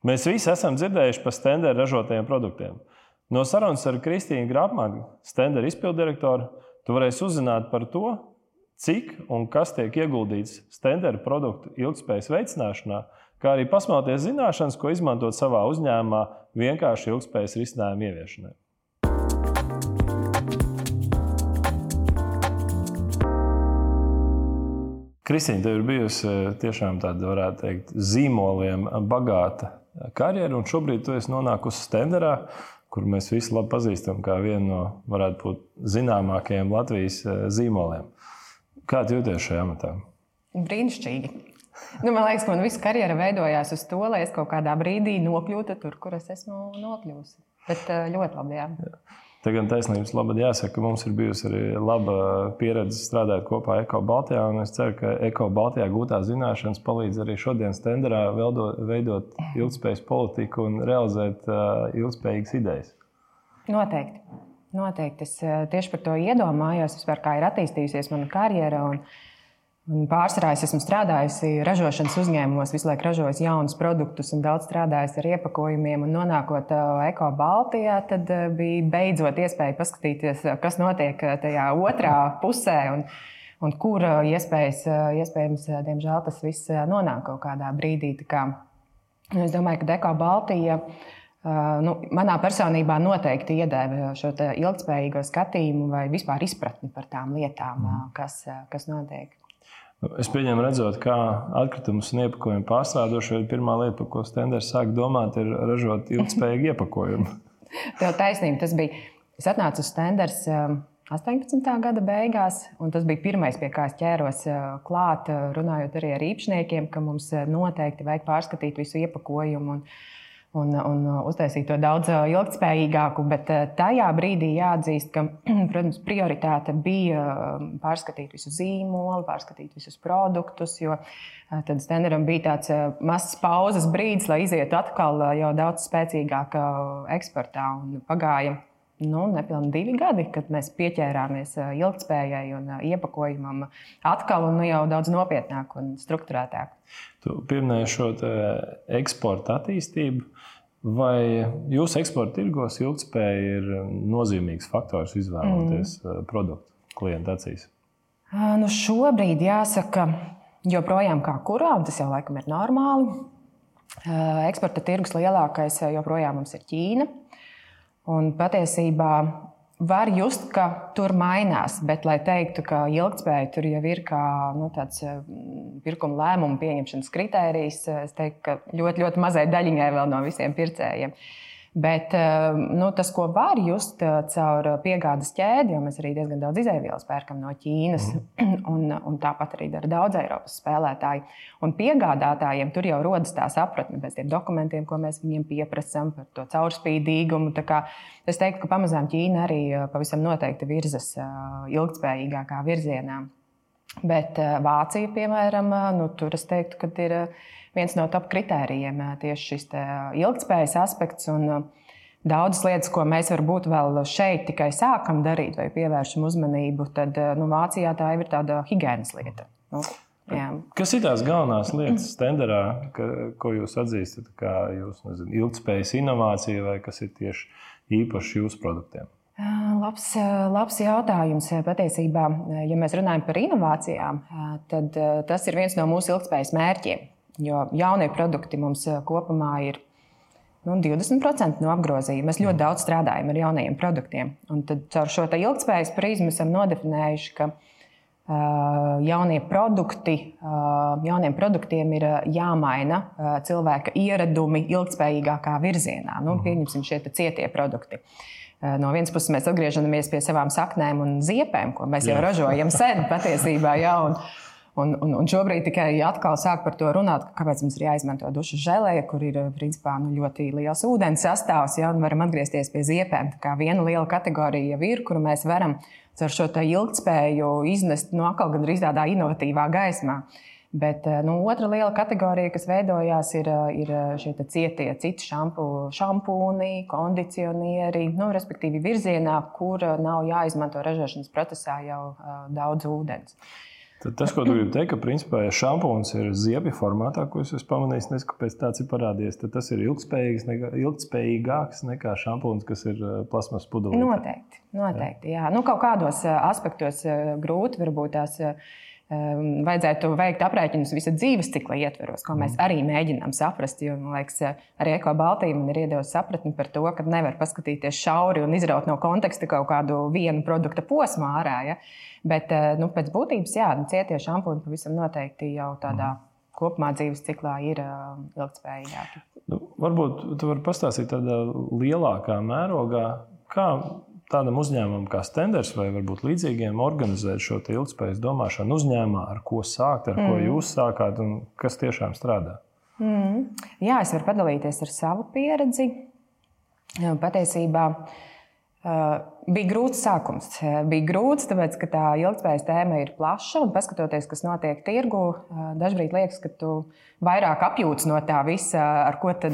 Mēs visi esam dzirdējuši par Stendera ražotajiem produktiem. No sarunas ar Kristīnu Grāpmanu, Stendera izpilddirektoru, tu varēsi uzzināt par to, cik un kas tiek ieguldīts Stendera produktu ilgtspējas veicināšanā, kā arī pasmelties zināšanas, ko izmantot savā uzņēmumā vienkārši ilgtspējas risinājumu ieviešanai. Kristīna, tev ir bijusi tiešām tāda, varētu teikt, zīmoliem bagāta karjera, un šobrīd tu esi nonākusi Stenderā, kur mēs visi labi pazīstam kā vienu no, varētu būt, zināmākajiem Latvijas zīmoliem. Kā tu jūties šajā amatā? Brīnišķīgi. Man liekas, ka man visa karjera veidojās uz to, lai es kaut kādā brīdī nokļūtu tur, kur es esmu nokļūsi. Bet ļoti labi, jā. Te gan taisnības labad jāsaka, ka mums ir bijusi arī laba pieredze strādāt kopā Eko Baltijā, un es ceru, ka Eko Baltijā gūtā zināšanas palīdz arī šodien Stenderā veidot ilgtspējas politiku un realizēt ilgtspējīgas idejas. Noteikti. Es tieši par to iedomājos, vispār kā ir attīstījusies mana karjera. Un pārsvarā es esmu strādājusi ražošanas uzņēmumos, visu laiku ražojusi jaunus produktus un daudz strādājusi ar iepakojumiem. Un nonākot Eko Baltijā, tad bija beidzot iespēja paskatīties, kas notiek tajā otrā pusē un kur iespējams, diemžēl, tas viss nonāk kaut kādā brīdī. Es domāju, ka Eko Baltija manā personībā noteikti iedēva šo ilgtspējīgo skatījumu vai vispār izpratni par tām lietām, kas notiek. Es pieņemu redzot, kā atkritumus un iepakojumu pārstrādošo, pirmā lieta, par ko Stenders sāk domāt, ir ražot ilgtspējīgu iepakojumu. Tev taisnība, tas bija. Es atnācu uz Stenders 18. gada beigās, un tas bija pirmais, pie kā es ķēros klāt, runājot arī ar īpašniekiem, ka mums noteikti vajag pārskatīt visu iepakojumu un uztaisīt to daudz ilgtspējīgāku, bet tajā brīdī jāatzīst, ka, protams, prioritāte bija pārskatīt visu zīmolu, pārskatīt visus produktus, jo tad Stenderam bija tāds mazs pauzes brīdis, lai izietu atkal jau daudz spēcīgāk eksportā, un pagāja nepilni 2 gadi, kad mēs pieķērāmies ilgtspējai un iepakojumam atkal un jau daudz nopietnāk un strukturētāk. Tu pieminēji šo eksporta attīstību. Vai jūsu eksporta tirgos ilgtspēja ir nozīmīgs faktors izvēloties produktu klientu acīs? Šobrīd jāsaka, joprojām kā kurā, un tas jau laikam ir normāli. Eksporta tirgus lielākais joprojām mums ir Ķīna. Un patiesībā var just, ka tur mainās, bet, lai teiktu, ka ilgtspēja tur jau ir kā tāds pirkuma lēmumu pieņemšanas kritērijs, es teiktu, ka ļoti, ļoti mazai daļiņai vēl no visiem pircējiem. Bet tas, ko var just caur piegādes ķēdi, jo mēs arī diezgan daudz izēvielas pērkam no Ķīnas, un tāpat arī dara daudz Eiropas spēlētāji. Un piegādātājiem tur jau rodas tā sapratne pēc tiem dokumentiem, ko mēs viņiem pieprasam par to caurspīdīgumu. Tā kā es teiktu, ka pamazām Ķīna arī pavisam noteikti virzas ilgtspējīgākā virzienā. Bet Vācija, piemēram, tur es teiktu, ka ir viens no top kritērijiem tieši šis ilgtspējas aspekts. Un daudzas lietas, ko mēs varbūt vēl šeit tikai sākam darīt vai pievēršam uzmanību, tad Vācijā tā jau ir tāda higienas lieta. Kas ir tās galvenās lietas Stenderā, ko jūs atzīstat kā ilgtspējas inovācija vai kas ir tieši īpaši jūsu produktiem? Labs jautājums. Patiesībā, ja mēs runājam par inovācijām, tad tas ir viens no mūsu ilgtspējas mērķiem. Jo jaunie produkti mums kopumā ir 20% no apgrozījuma. Mēs ļoti daudz strādājam ar jaunajiem produktiem. Un tad caur šo ilgtspējas prizmu esam nodefinējuši, ka jauniem produktiem ir jāmaina cilvēka ieradumi ilgtspējīgākā virzienā. Pieņemsim šie cietie produkti. No vienas puses mēs atgriežamies pie savām saknēm un ziepēm, ko mēs jau ražojam sen patiesībā. Un šobrīd tikai atkal sāk par to runāt, kāpēc mums ir jāizmanto dušas želeja, kur ir principā ļoti liels ūdens sastāvs, un varam atgriezties pie ziepēm. Tā kā viena liela kategorija jau ir, kuru mēs varam ar šo ilgtspēju iznest atkal gandrīz tādā inovatīvā gaismā. Bet otra liela kategorija, kas veidojās, ir šie cietie citi šampūni, kondicionieri, respektīvi virzienā, kur nav jāizmanto ražošanas procesā jau daudz ūdens. Tad tas, ko tu gribi teikt, ka principā, ja šampūns ir ziepju formātā, ko es pamanīju, nezinu, kāpēc tāds ir parādījies, tad tas ir ilgspējīgāks nekā šampūns, kas ir plasmas pudelīte. Noteikti, jā. Nu, kaut kādos aspektos grūti varbūt tās vajadzētu veikt aprēķinus visa dzīves cikla ietveros, ko mēs arī mēģinām saprast. Jo, man liekas, arī Eko Baltija man ir iedevusi sapratni par to, ka nevar paskatīties šauri un izraut no konteksta kaut kādu vienu produkta posmu ārā. Ja? Bet pēc būtības, jā, cietie šampūni pavisam noteikti jau tādā kopumā dzīves ciklā ir ilgtspējīgāki. Varbūt tu vari pastāstīt tādā lielākā mērogā, kā tādam uzņēmumam kā Stenders vai varbūt līdzīgiem organizēt šo ilgtspējas domāšanu uzņēmumā, ar ko sākt, ar ko jūs sākāt un kas tiešām strādā? Jā, es varu padalīties ar savu pieredzi. Patiesībā bija grūts sākums. Bija grūts, tāpēc, ka tā ilgtspējas tēma ir plaša un paskatoties, kas notiek tirgu, dažbrīd liekas, ka tu vairāk apjūts no tā visa, ar ko tad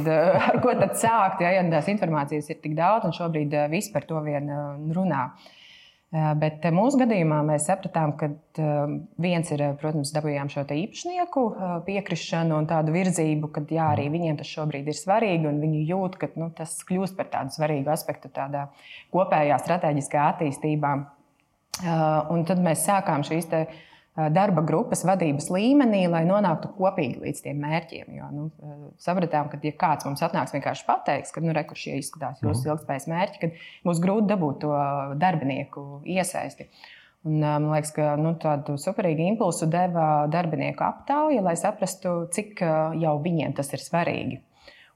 sākt, ja tās informācijas ir tik daudz un šobrīd viss par to vien runā. Bet mūsu gadījumā mēs sapratām, ka viens ir, protams, dabūjām šo īpašnieku piekrišanu un tādu virzību, ka jā, arī viņiem tas šobrīd ir svarīgi un viņi jūt, ka tas kļūst par tādu svarīgu aspektu tādā kopējā strateģiskā attīstībā. Un tad mēs sākām šīs darba grupas vadības līmenī, lai nonāktu kopīgi līdz tiem mērķiem. Jo, sapratām, ka ja kāds mums atnāks vienkārši pateiks, ka kur šie izskatās jūsu ilgtspējas mērķi, kad būs grūti dabūt to darbinieku iesaisti. Un, man liekas, ka tādu superīgu impulsu deva darbinieku aptauja, lai saprastu, cik jau viņiem tas ir svarīgi.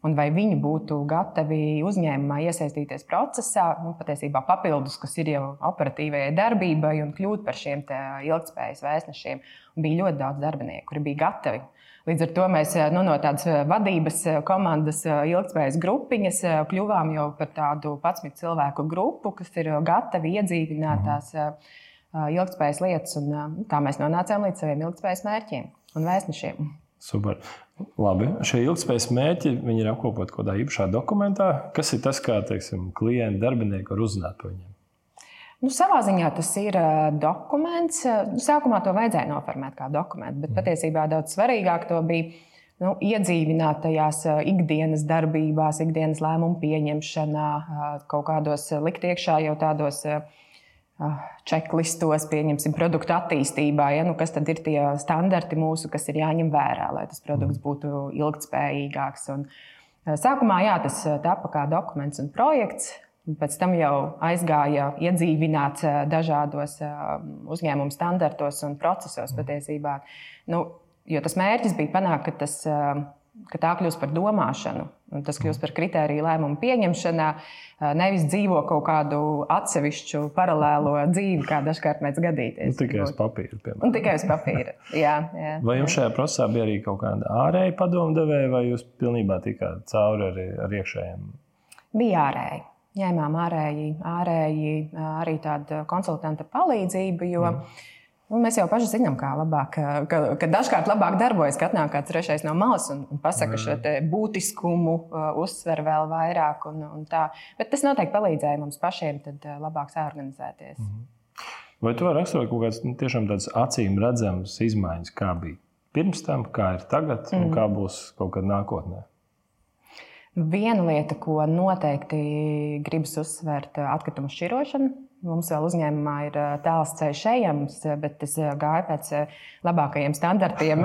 Un vai viņi būtu gatavi uzņēmumā iesaistīties procesā, patiesībā papildus, kas ir jau operatīvajai darbībai un kļūt par šiem ilgtspējas vēstnešiem. Un bija ļoti daudz darbinieku, kuri bija gatavi. Līdz ar to mēs no tādas vadības komandas ilgtspējas grupiņas kļuvām jau par tādu 11 cilvēku grupu, kas ir gatavi iedzīvināt tās ilgtspējas lietas. Un tā mēs nonācām līdz saviem ilgtspējas mērķiem un vēstnešiem. Super. Labi. Šie ilgtspējas mērķi ir apkopoti kaut kādā īpašā dokumentā. Kas ir tas, kā klienti, darbinieki var uzzināt par viņiem? Savā ziņā tas ir dokuments. Sākumā to vajadzēja noformēt kā dokumentu, bet patiesībā daudz svarīgāk to bija iedzīvināt tajās ikdienas darbībās, ikdienas lēmumu pieņemšanā, kaut kādos likt iekšā jau tādos čeklistos, pieņemsim, produktu attīstībā, kas tad ir tie standarti mūsu, kas ir jāņem vērā, lai tas produkts būtu ilgtspējīgāks. Un sākumā tas tapa kā dokuments un projekts, un pēc tam jau aizgāja iedzīvināts dažādos uzņēmumu standartos un procesos patiesībā. Jo tas mērķis bija panākt, ka tā kļūst par domāšanu, un tas kļūst par kritēriju lēmumu pieņemšanā, nevis dzīvo kaut kādu atsevišķu paralēlo dzīvi, kā dažkārt mēdz gadīties. Tikai uz papīra, piemēram. Un tikai uz papīra, jā. Vai jums šajā procesā bija arī kaut kāda ārēja padomdevēja, vai jūs pilnībā tikāt cauri ar iekšējiem? Bija ārēji. Ņēmām ārēji arī tādu konsultanta palīdzību, jo mēs jau paši zinām, kā labāk, ka dažkārt labāk darbojas, ka atnāk kāds trešais no malas un pasaka šo būtiskumu, uzsver vēl vairāk un tā. Bet tas noteikti palīdzēja mums pašiem tad labāk sāorganizēties. Vai tu vari raksturot kaut kādas tiešām tādas acīm redzamas izmaiņas, kā bija pirms tam, kā ir tagad un kā būs kaut kad nākotnē? Viena lieta, ko noteikti gribas uzsvērt, atkritumu šķirošana. Mums vēl uzņēmumā ir tāls ceļš ejams, bet es gāju pēc labākajiem standartiem,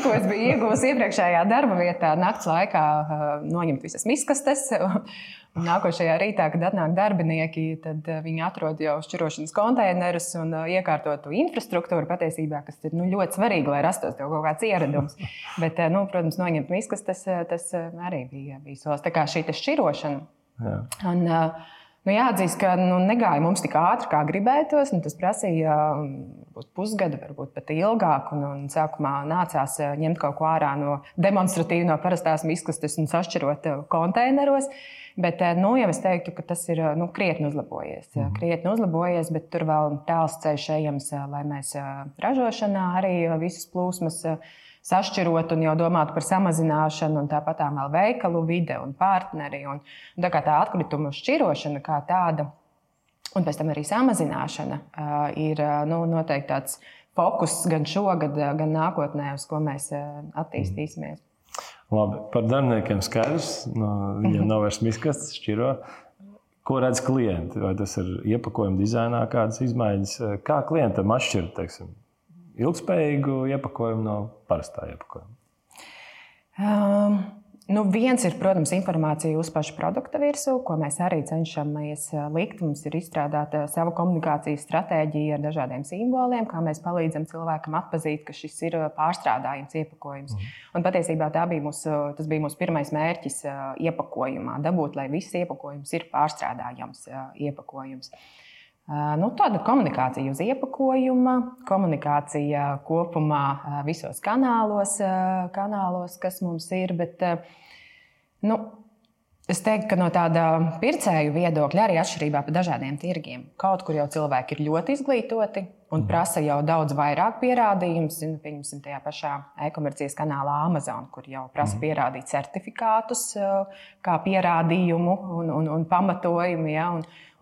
ko es biju ieguvusi iepriekšējā darba vietā. Nakts laikā noņemt visas miskastes. Nākošajā rītā, kad atnāk darbinieki, tad viņi atrod jau šķirošanas konteinerus un iekārtotu infrastruktūru patiesībā, kas ir ļoti svarīgi, lai rastos tev kaut kāds ieradums. Bet, protams, noņemt miskastes, tas arī bija solis. Tā kā šī šķirošana. Jā. Un, jāatzīst, ka negāja mums tik ātri, kā gribētos. Tas prasīja pusgadu, varbūt pat ilgāk. Un sākumā nācās ņemt kaut ko ārā demonstratīvi no parastās miskastes un sašķirot konteineros. Bet jau es teiktu, ka tas ir krietni uzlabojies, bet tur vēl tāls ceļš ejams, lai mēs ražošanā arī visas plūsmas sašķirot un jau domāt par samazināšanu, un tāpat vēl veikalu vide un partneri. Un tā kā tā atkritumu šķirošana kā tāda, un pēc tam arī samazināšana ir noteikti tāds fokus gan šogad, gan nākotnē, uz ko mēs attīstīsimies. Labi, par darbiniekiem skaidrs. Viņiem nav vairs miskastes, šķiro. Ko redz klienti? Vai tas ir iepakojuma dizainā kādas izmaiņas? Kā klientam atšķirt, teiksim, ilgspējīgu iepakojumu no parastā iepakojuma? Viens ir, protams, informācija uz pašu produkta virsū, ko mēs arī cenšamies likt. Mums ir izstrādāta sava komunikācijas stratēģija ar dažādiem simboliem, kā mēs palīdzam cilvēkam atpazīt, ka šis ir pārstrādājums iepakojums. Un patiesībā tas bija mūsu pirmais mērķis iepakojumā, dabūt, lai viss iepakojums ir pārstrādājams iepakojums. Tāda komunikācija uz iepakojuma, komunikācija kopumā visos kanālos, kas mums ir. Bet, es teiktu, ka no tāda pircēju viedokļa arī atšķirībā par dažādiem tirgiem. Kaut kur jau cilvēki ir ļoti izglītoti un prasa jau daudz vairāk pierādījumus. Pieņemsim tajā pašā e-komercijas kanālā Amazon, kur jau prasa pierādīt certifikātus kā pierādījumu un pamatojumu. Ja,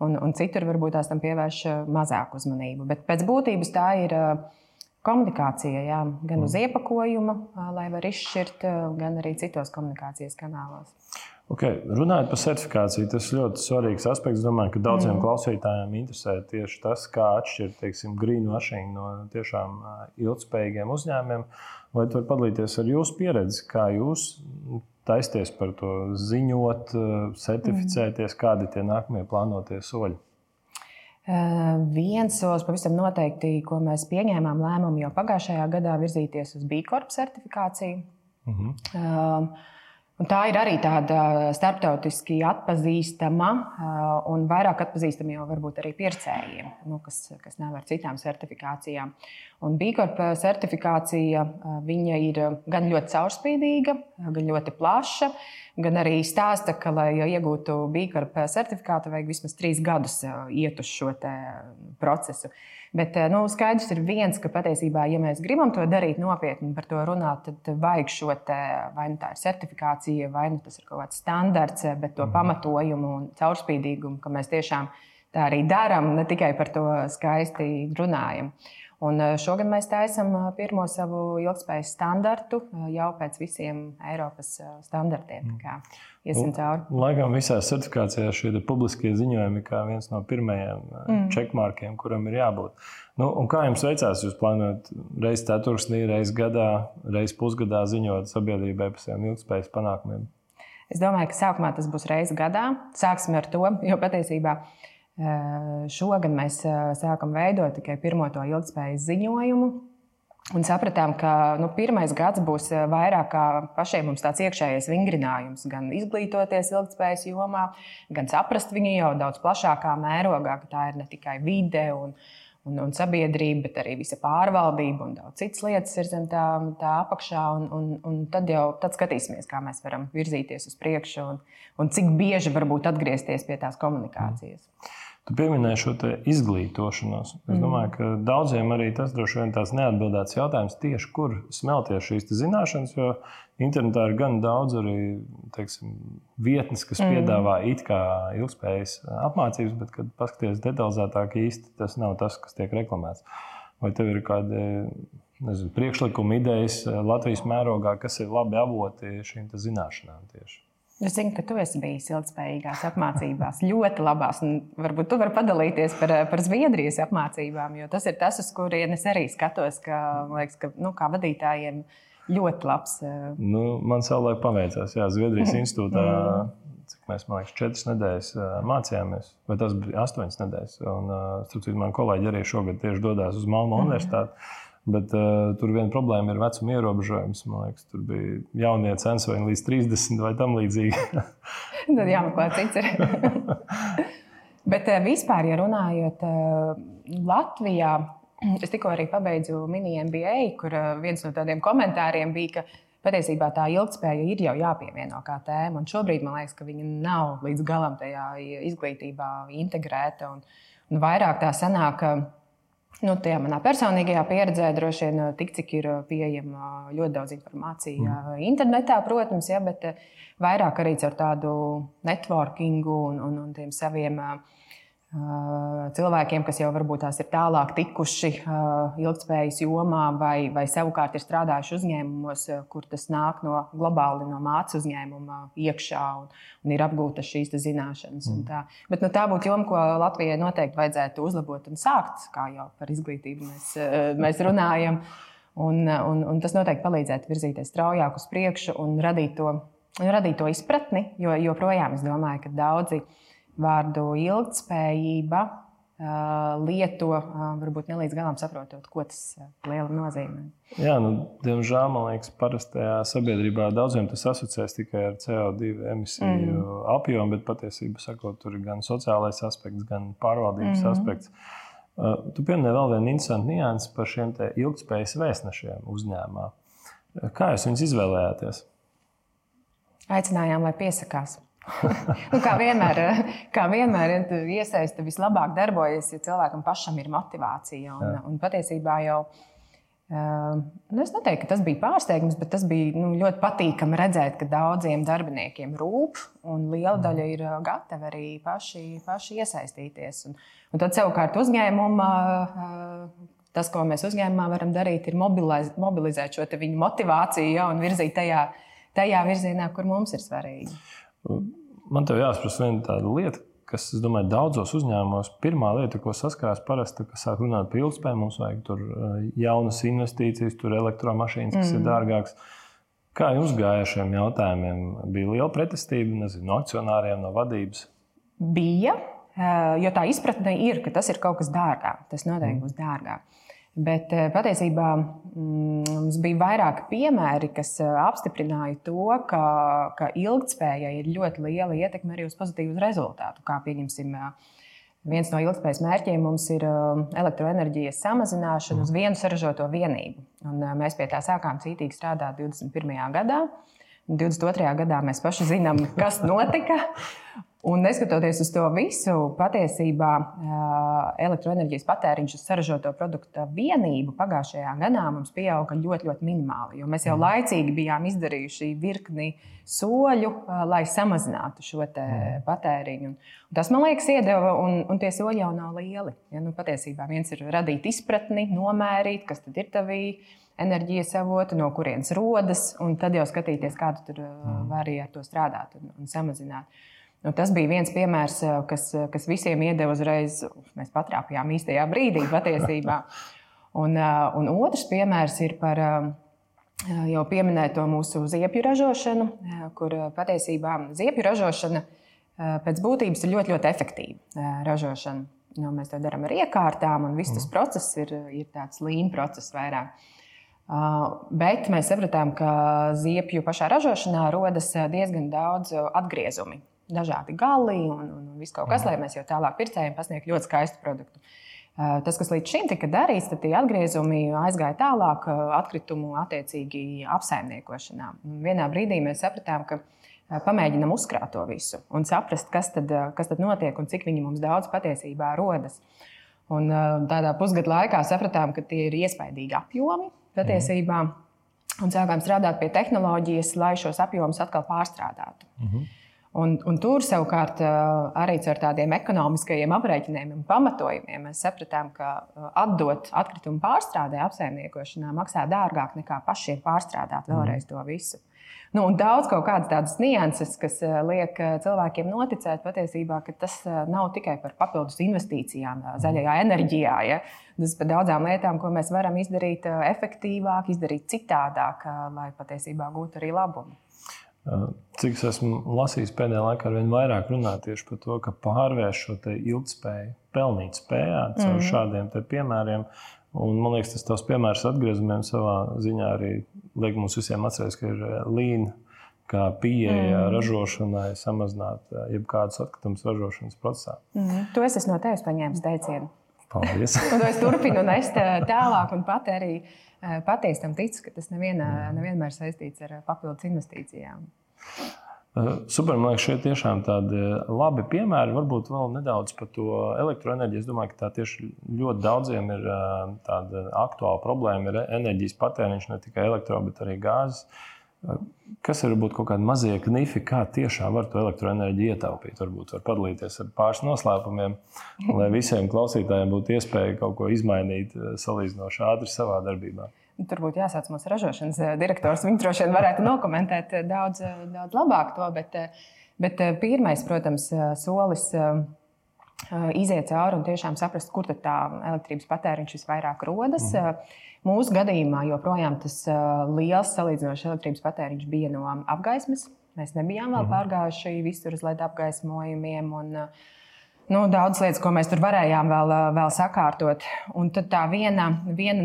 un citur varbūt tās tam pievērš mazāku uzmanību. Bet pēc būtības tā ir komunikācija, jā, gan uz iepakojuma, lai var izšķirt, gan arī citos komunikācijas kanālos. Okay. Runājot par certifikāciju, tas ir ļoti svarīgs aspekts. Es domāju, ka daudziem klausītājiem interesē tieši tas, kā atšķirt, teiksim, greenwashing no tiešām ilgspējīgiem uzņēmumiem. Vai tu vari padalīties ar jūsu pieredzi, kā jūs taisties par to ziņot, certificēties, kādi tie nākamie plānotie soļi? Viens solis pavisam noteikti, ko mēs pieņēmām lēmumu jau pagājušajā gadā, virzīties uz B Corp certifikāciju. Un tā ir arī tāda starptautiski atpazīstama un vairāk atpazīstama jau varbūt arī pircējiem, kas nav ar citām certifikācijām. Un B Corp certifikācija viņa ir gan ļoti caurspīdīga, gan ļoti plaša, gan arī stāsta, ka, lai iegūtu B Corp certifikātu, vajag vismaz 3 gadus iet uz šo procesu. Bet skaidrs ir viens, ka patiesībā, ja mēs gribam to darīt nopietni, par to runāt, tad vajag šo vai nu tā ir certifikācija, vai nu tas ir kaut kāds standarts, bet to pamatojumu un caurspīdīgumu, ka mēs tiešām tā arī darām, ne tikai par to skaisti runājam. Un šogad mēs taisam pirmo savu ilgspējas standartu jau pēc visiem Eiropas standartiem. Iesim cauri. Laikam visās certifikācijās šie publiskie ziņojumi kā viens no pirmajiem checkmarkiem, kuram ir jābūt. Un kā jums veicās? Jūs plānojat reizi ceturksnī, reizi gadā, reizi pusgadā ziņot sabiedrībai par saviem ilgspējas panākumiem? Es domāju, ka sākumā tas būs reizi gadā. Sāksim ar to, jo patiesībā šogad mēs sākam veidot tikai pirmo to ilgspējas ziņojumu un sapratām, ka pirmais gads būs vairāk kā pašiem mums tāds iekšējais vingrinājums, gan izglītoties ilgspējas jomā, gan saprast viņu jau daudz plašākā mērogā, ka tā ir ne tikai vide un sabiedrība, bet arī visa pārvaldība un daudz citas lietas ir zem tā apakšā. Un tad skatīsimies, kā mēs varam virzīties uz priekšu un cik bieži varbūt atgriezties pie tās komunikācijas. Tu pieminēji šo izglītošanos. Es domāju, ka daudziem arī tas droši vien tās neatbildēts jautājums tieši, kur smelties šīs zināšanas, jo internetā ir gan daudz arī, teiksim, vietnes, kas piedāvā it kā ilgspējas apmācības, bet, kad paskaties detalizētāk, īsti tas nav tas, kas tiek reklamēts. Vai tev ir kādi, priekšlikumi, idejas Latvijas mērogā, kas ir labi avoti šīm zināšanām tieši? Es zinu, ka tu esi bijis ilgspējīgās apmācībās, ļoti labās. Varbūt tu vari padalīties par Zviedrijas apmācībām, jo tas ir tas, uz kurien es arī skatos, ka, liekas, ka kā vadītājiem ļoti labs. Man savulaik paveicās, Zviedrijas institūtā, cik mēs, man liekas, 4 nedēļas mācījāmies, vai tas bija 8 nedēļas. Un, starp citu, man kolēģi arī šogad tieši dodās uz Malmo universitāti. Bet tur viena problēma ir vecuma ierobežojums. Man liekas, tur bija jaunie censori līdz 30 vai tam līdzīgi. Tad jāmeklē cits ir. Bet vispār, ja runājot Latvijā, es tikko arī pabeidzu mini MBA, kur viens no tādiem komentāriem bija, ka patiesībā tā ilgtspēja ir jau jāpievieno kā tēma. Un šobrīd man liekas, ka viņa nav līdz galam tajā izglītībā integrēta. Un vairāk tā sanāk, tajā manā personīgajā pieredzē droši vien tik, cik ir pieejama ļoti daudz informācija internetā, protams, bet vairāk arī ar tādu networkingu un tiem saviem cilvēkiem, kas jau varbūt tās ir tālāk tikuši ilgtspējas jomā vai savukārt ir strādājuši uzņēmumos, kur tas nāk globāli no mātes uzņēmuma iekšā un ir apgūtas šīs zināšanas. Bet tā būtu joma, ko Latvijai noteikti vajadzētu uzlabot un sākt, kā jau par izglītību mēs runājam. Un tas noteikti palīdzētu virzīties straujāk uz priekšu un radīt to izpratni, jo joprojām es domāju, ka daudzi vārdu ilgtspējība lieto, varbūt ne līdz galam saprotot, ko tas liela nozīmē. Jā, diemžēl, man liekas, parastajā sabiedrībā daudziem tas asociēs tikai ar CO2 emisiju apjomu, bet patiesībā sakot, tur ir gan sociālais aspekts, gan pārvaldības aspekts. Tu pieminēji vēl vienu interesantu niansi par šiem te ilgtspējas vēstnešiem uzņēmumā. Kā jūs viņus izvēlējāties? Aicinājām, lai piesakās. Kā vienmēr iesaista vislabāk darbojas, ja cilvēkam pašam ir motivācija. Un patiesībā jau, es neteiktu, ka tas bija pārsteigums, bet tas bija ļoti patīkami redzēt, ka daudziem darbiniekiem rūp un liela daļa ir gatavi arī paši iesaistīties. Un tad savukārt uzņēmumā, tas, ko mēs uzņēmumā varam darīt, ir mobilizēt šo viņu motivāciju un virzīt tajā virzienā, kur mums ir svarīgi. Man tev jāsprasa viena tāda lieta, kas, es domāju, daudzos uzņēmumos pirmā lieta, ko saskarās parasti, kad sāk runāt par ilgtspēju, mums vajag tur jaunas investīcijas, tur elektromašīnas, kas ir dārgākas. Kā jums gāja šiem jautājumiem? Bija liela pretestība, no akcionāriem, no vadības? Bija, jo tā izpratne ir, ka tas ir kaut kas dārgāk. Tas noteikti būs dārgāk. Bet patiesībā mums bija vairāki piemēri, kas apstiprināja to, ka ilgtspējai ir ļoti liela ietekme arī uz pozitīvu rezultātu. Kā pieņemsim, viens no ilgtspējas mērķiem mums ir elektroenerģijas samazināšana uz vienu saražoto vienību. Un mēs pie tā sākām cītīgi strādāt 21. gadā. 22. gadā mēs paši zinām, kas notika. Un neskatoties uz to visu, patiesībā elektroenerģijas patēriņš uz saražoto produktu vienību pagājušajā gadā mums pieauga ļoti, ļoti minimāli. Jo mēs jau laicīgi bijām izdarījuši virkni soļu, lai samazinātu šo patēriņu. Un tas, man liekas, iedeva, un tie soļi jau nav lieli. Ja, patiesībā viens ir radīt izpratni, nomērīt, kas tad ir tavī enerģijas avoti, no kurienes rodas, un tad jau skatīties, kā tu tur vari ar to strādāt un samazināt. Tas bija viens piemērs, kas visiem iedeva uzreiz, mēs patrāpījām īstajā brīdī patiesībā. Un otrs piemērs ir par jau pieminēto mūsu ziepju ražošanu, kur patiesībā ziepju ražošana pēc būtības ir ļoti, ļoti efektīva ražošana. Mēs to darām ar iekārtām, un viss tas process ir tāds lean process vairāk. Bet mēs sapratām, ka ziepju pašā ražošanā rodas diezgan daudz atgriezumi. Dažādi gali un viss kaut kas, lai mēs jau tālāk pircējiem pasniegtu ļoti skaistu produktu. Tas, kas līdz šim tika darīts, tad tie atgriezumi aizgāja tālāk atkritumu attiecīgi apsaimniekošanā. Vienā brīdī mēs sapratām, ka pamēģinam uzkrāt to visu un saprast, kas tad notiek un cik viņi mums daudz patiesībā rodas. Un tādā pusgada laikā sapratām, ka tie ir iespaidīgi apjomi patiesībā un sākām strādāt pie tehnoloģijas, lai šos apjomus atkal pārstrādātu. Un tur savukārt arī ar tādiem ekonomiskajiem aprēķiniem un pamatojumiem mēs sapratām, ka atdot atkritumu pārstrādē apsaimniekošanā maksā dārgāk nekā pašiem pārstrādāt vēlreiz to visu. Un daudz kaut kādas tādas nianses, kas liek cilvēkiem noticēt patiesībā, ka tas nav tikai par papildus investīcijām zaļajā enerģijā. Ja? Tas par daudzām lietām, ko mēs varam izdarīt efektīvāk, izdarīt citādāk, lai patiesībā gūtu arī labumu. Cik es esmu lasījis pēdējā laikā, arvien vairāk runā tieši par to, ka pārvērš šo ilgtspēju pelnīt spējā caur šādiem piemēriem. Un, man liekas, tas tavs piemērs atgriezumiem savā ziņā arī liek mums visiem atcerēties, ka ir lean kā pieeja ražošanai samazināt jebkādus atkritumus ražošanas procesā. To es esmu no tevis paņēmis teicienu. Paldies. Un to es turpinu nest tālāk un pat arī patiesi tam ticu, ka tas nevienmēr saistīts ar papildus investīcijām. Super, man liekas, šie tiešām tādi labi piemēri. Varbūt vēl nedaudz par to elektroenerģiju. Es domāju, ka tā tieši ļoti daudziem ir tāda aktuāla problēma. Ir enerģijas patēriņš ne tikai elektro, bet arī gāzes. Kas ir varbūt kaut kādi mazie knifi, kā tiešām var to elektroenerģiju ietaupīt? Varbūt var padalīties ar pāris noslēpumiem, lai visiem klausītājiem būtu iespēja kaut ko izmainīt salīdzinoši ātri savā darbībā. Tur būtu jāsāc mūsu ražošanas direktors. Viņš droši vien varētu nokomentēt daudz labāk to, bet pirmais, protams, solis iziet cauri un tiešām saprast, kur tad tā elektrības patēriņš visvairāk rodas. Mūsu gadījumā joprojām tas liels salīdzinoši elektrības patēriņš bija no apgaismes. Mēs nebijām vēl pārgājuši visur uz LED apgaismojumiem un daudzas lietas, ko mēs tur varējām vēl sakārtot. Un tad tā viena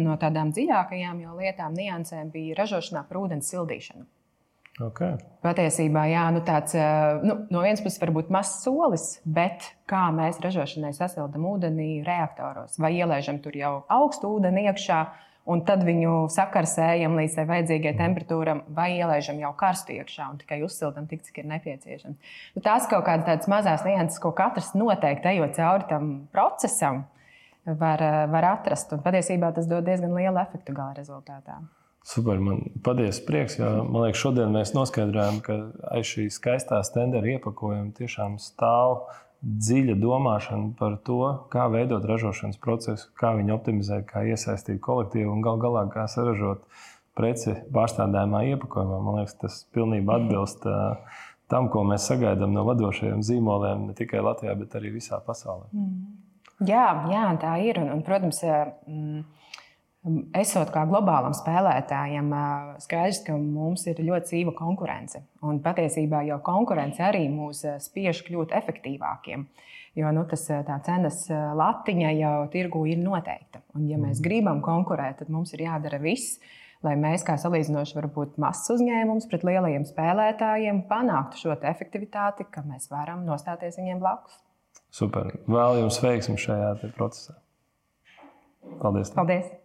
no tādām dziļākajām lietām, niansēm bija ražošanā par ūdens sildīšanu. Okay. Patiesībā, tāds no vienas puses varbūt mazs solis, bet kā mēs ražošanai sasildam ūdeni reaktoros, vai ielaižam tur jau augstu ūdeni iekšā, un tad viņu sakarsējam līdz tai vajadzīgai temperatūram, vai ielaižam jau karstu iekšā un tikai uzsildam tik, cik ir nepieciešams. Tās kaut kādas tādas mazās nianses, ko katrs noteikti ejot cauri tam procesam, var atrast. Un patiesībā tas dod diezgan lielu efektu gala rezultātā. Super, man patiesi prieks, jo man liekas, šodien mēs noskaidrojam, ka aiz šī skaistā stendera iepakojuma tiešām stāv dziļa domāšana par to, kā veidot ražošanas procesu, kā viņu optimizēt, kā iesaistīt kolektīvu un gal galā kā saražot preci pārstādājumā iepakojumā. Man liekas, tas pilnībā atbilst tam, ko mēs sagaidām no vadošajiem zīmoliem ne tikai Latvijā, bet arī visā pasaulē. Jā, tā ir. Un, protams, esot kā globālam spēlētājam, skaidrs, ka mums ir ļoti dzīva konkurence. Un patiesībā jau konkurence arī mūs spiež kļūt efektīvākiem. Jo tā cenas latiņa jau tirgu ir noteikta. Un, ja mēs gribam konkurēt, tad mums ir jādara viss, lai mēs, kā salīdzinoši varbūt mazs uzņēmums pret lielajiem spēlētājiem, panāktu šo efektivitāti, ka mēs varam nostāties viņiem blakus. Super. Vēl jums veiksmi šajā procesā. Paldies. Paldies.